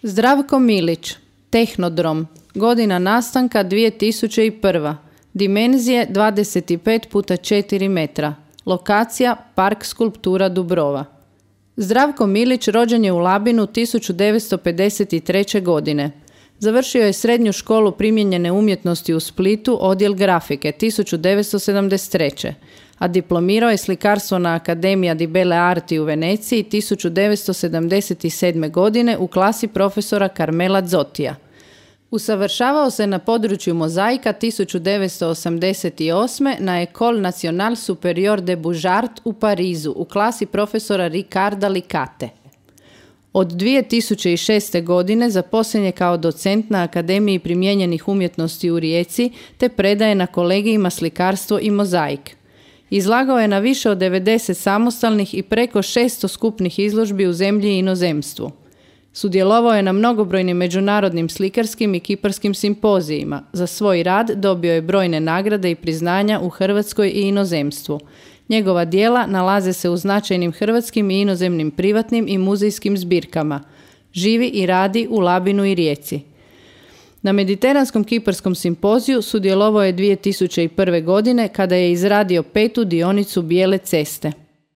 Zdravko Milić, Tehnodrom, godina nastanka 2001. Dimenzije 25x4 metra. Lokacija Park skulptura Dubrova. Zdravko Milić rođen je u Labinu 1953. godine. Završio je srednju školu primijenjene umjetnosti u Splitu, odjel grafike 1973. a diplomirao je slikarstvo na Accademia di Belle Arti u Veneciji 1977. godine u klasi profesora Carmela Zottija. Usavršavao se na području mozaika 1988. na École Nationale Supérieure des Beaux-Arts u Parizu u klasi profesora Riccarda Licate. Od 2006. godine zaposlen je kao docent na Akademiji primijenjenih umjetnosti u Rijeci te predaje na kolegijima slikarstvo i mozaik. Izlagao je na više od 90 samostalnih i preko 600 skupnih izložbi u zemlji i inozemstvu. Sudjelovao je na mnogobrojnim međunarodnim slikarskim i kiparskim simpozijima. Za svoj rad dobio je brojne nagrade i priznanja u Hrvatskoj i inozemstvu. Njegova djela nalaze se u značajnim hrvatskim i inozemnim privatnim i muzejskim zbirkama. Živi i radi u Labinu i Rijeci. Na Mediteranskom kiparskom simpoziju sudjelovao je 2001. godine kada je izradio 5. dionicu Bijele ceste.